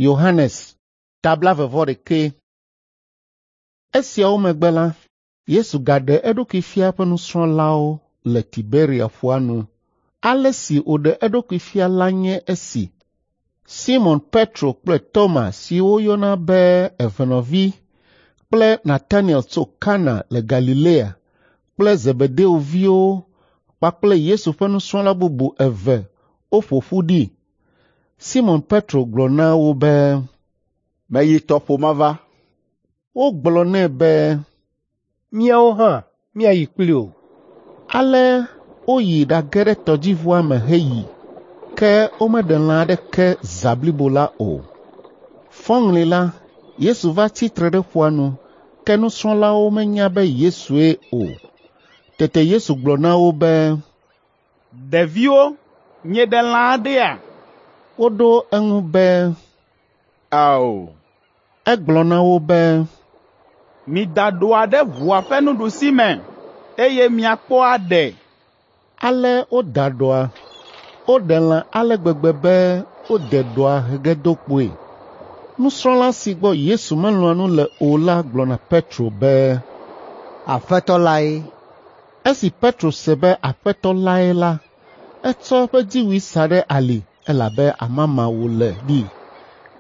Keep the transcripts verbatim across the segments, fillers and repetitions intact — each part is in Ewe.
Yohanes ta blaeve-vɔ-ɖekɛ. Esiawo megbe la, Yesu gaɖe eɖokui fia eƒe nusrɔ̃lawo le Tiberia ƒua nu. Ale si wòɖe eɖokui fia la nye esi: Simɔn Petro kple Toma si woyɔna be Evenɔvi kple Nataniel tso Kana le Galilea kple Zebedeo viwo kpakple Yesu ƒe nusrɔ̃la bubu eve woƒo ƒu ɖi. Simɔn Petro gblɔ na wo be, “Meyi tɔƒo mava.” Wogblɔ nɛ be, “Míawo hã míayi kpli wò.” Ale woyi ɖage ɖe tɔdziʋua me heyi, ke womeɖe lã aɖeke zã blibo la o. Fɔŋli la, Yesu va tsi tre ɖe ƒua nu, ke nusrɔ̃lawo menya be Yesue o. Tete Yesu gblɔ na wo be, “Ɖeviwo, mieɖe lã aɖea?” Woɖo eŋu be, “Ao.” Egblɔ na wo be, “Mida ɖɔa ɖe ʋua ƒe nuɖusime, eye miakpɔ aɖe.” Ale woda ɖɔa. Woɖe lã ale gbegbe be wode ɖɔa he ge do kpoe. Nusrɔ̃la si gbɔ Yesu melɔ̃a nu le o la gblɔ na Petro be, “Aƒetɔ lae.” Esi Petro se be Aƒetɔ lae la, etsɔ eƒe dziwui sa ɖe ali elabe amama wòle ɖi,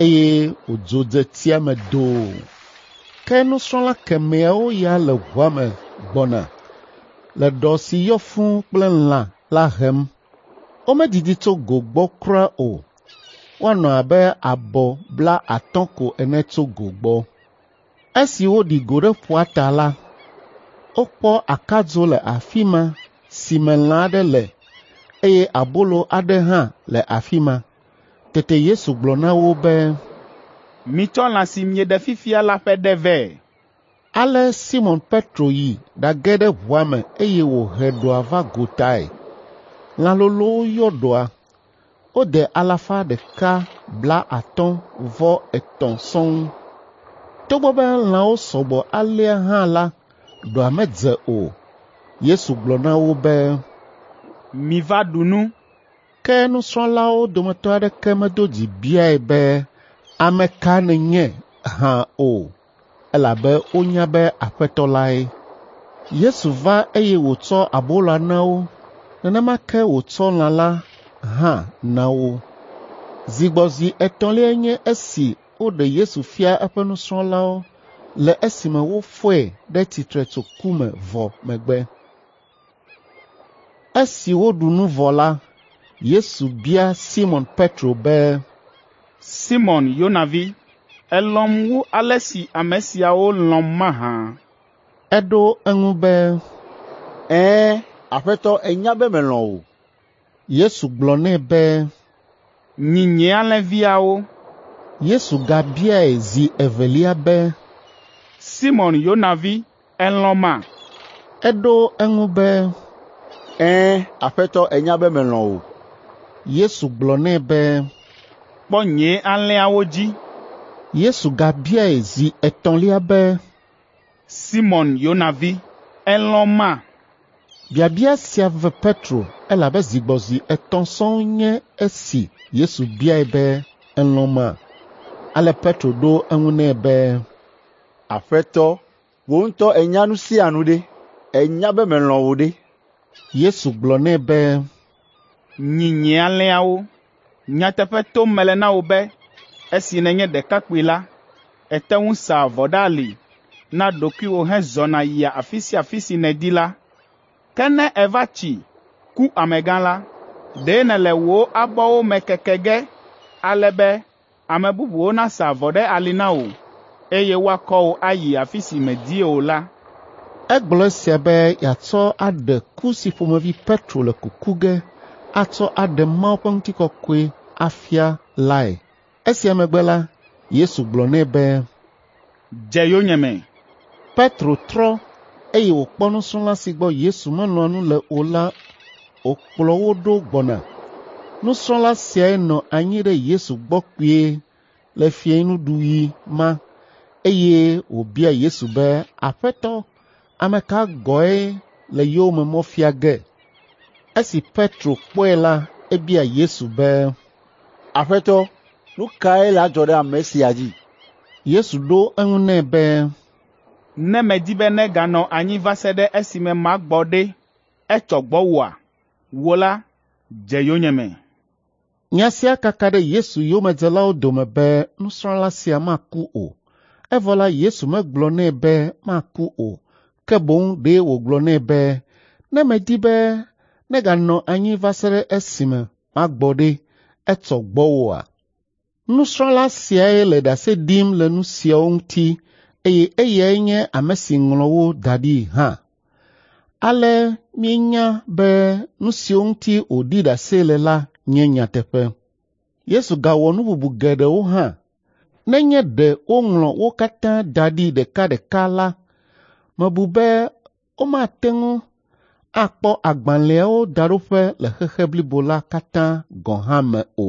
eye wòdzo dze tsia me doo. Ke nusrɔ̃la kemɛawo ya le ʋua me gbɔna le ɖɔ si yɔ fũu kple lã la hem. Womedidi tso go gbɔ kura o, woanɔ abe abɔ blaatɔ̃ ko ene tso go gbɔ. Esi woɖi go ɖe ƒua ta la, wokpɔ akadzo le afi ma si me lã aɖe le eye abolo aɖe hã le afi ma. Tete Yesu gblɔ na wo be, “Mitsɔ lã si mieɖe fifia la ƒe ɖe vɛ.” Ale Simɔn Petro yi ɖage ɖe ʋua me eye wòhe ɖɔa va gotae. Lã lolowo yɔ ɖɔa. Wode alafa ɖeka blaatɔ̃ vɔ etɔ̃ sɔŋ. Togbɔ be lãwo sɔ gbɔ alea hã la, ɖɔa medze o. Yesu gblɔ na wo be, “Miva ɖu nu.” Ke nusrɔ̃lawo dometɔ aɖeke medo dzi biae be, “Ame ka nènye?” hã o, elabe wonya be Aƒetɔ lae. Yesu va eye wòtsɔ aboloa na wo, nenema ke wòtsɔ lã la hã na wo. Zi gbɔ zi etɔ̃liae nye esi woɖe Yesu fia eƒe nusrɔ̃lawo le esime wofɔe ɖe tsitre tso ku me vɔ megbe. Esi woɖu nu vɔ la, Yesu bia Simɔn Petro be, “Simɔn Yona vi, èlɔ̃m wu ale si ame siawo lɔ̃m mahã?” Eɖo eŋu be, “Ɛ̃, Aƒetɔ ènya be melɔ̃ wò.” Yesu gblɔ nɛ be, “Nyi nye alẽviawo.” Yesu gabiae zi evelia be, “Simɔn Yona vi, èlɔ̃ma?” Eɖo eŋu be, “Ɛ̃, Aƒetɔ ènya be melɔ̃ wò.” Yesu gblɔ nɛ be, “Kpɔ nye alẽawo dzi.” Yesu gabiae zi etɔ̃lia be, “Simɔn Yona vi, èlɔ̃ma?” Biabia sia ve Petro elabe zi gbɔ zi etɔ̃ sɔŋ nye esi Yesu biae be, “Èlɔ̃ma?” Ale Petro ɖo eŋu nɛ be, “Aƒetɔ, wò ŋutɔ ènya nu sia nu ɖe, ènya be melɔ̃ wò ɖe.” Yesu gblɔ nɛ be, “Nyi nye alẽawo. Nyateƒe tom mele na wò be esi nènye ɖekakpui la, ète ŋu saa avɔ ɖe ali na ɖokuiwò hezɔna yia afi sia afi si nèdi la. Ke ne èva tsi, ku amegã la, ɖe nèle wò abɔwo me keke ge ale be ame bubuwo nasa avɔ ɖe ali na wò, eye woakɔ wò ayi afi si mèdi o la.” Egblɔ esia be yeatsɔ aɖe ku si ƒomevi Petro le kuku ge atsɔ aɖe Mawu ƒe ŋutikɔkɔe afia lae. Esia megbe la, Yesu gblɔ nɛ be, “Dze yonyeme.” Petro trɔ eye wòkpɔ nusrɔ̃la si gbɔ Yesu melɔ̃a nu le o la wòkplɔ wo ɖo gbɔna. Nusrɔ̃la siae nɔ anyi ɖe Yesu gbɔ kpuie le fiẽnuɖuɣi ma eye wòbia Yesu be, “Aƒetɔ, ame ka gɔ̃e le yowòme mɔ fia ge?” Esi Petro kpɔe la, ebia Yesu be, “Aƒetɔ, Nu kae le adzɔ ɖe ame sia dzi?” Yesu ɖo eŋu nɛ be, “Ne medi be neganɔ anyi va se ɖe esime magbɔ ɖe, etsɔ gbɔwòa? Wò la, dze yonyeme.” Nya sia kaka ɖe Yesu yomedzelawo dome be nusrɔ̃la sia maku o. Evɔ la Yesu megblɔ nɛ be maku o, ke boŋ ɖe wògblɔ nɛ be, “Ne medi be neganɔ anyi va se ɖe esime magbɔ ɖe, etsɔ gbɔwòa?” Nusrɔ̃la siae le ɖase ɖim le nu siawo ŋuti eye eyae nye ame si ŋlɔ wo da ɖi hã. Ale míenya be nu siwo ŋuti wòɖi ɖase le la nye nyateƒe. Yesu gawɔ nu bubu geɖewo hã. Nenye ɖe woŋlɔ wo katã da ɖi ɖekaɖeka la, mebu be womate ŋu akpɔ agbalẽawo daɖoƒe le xexe blibo la katã gɔ̃ hã me o.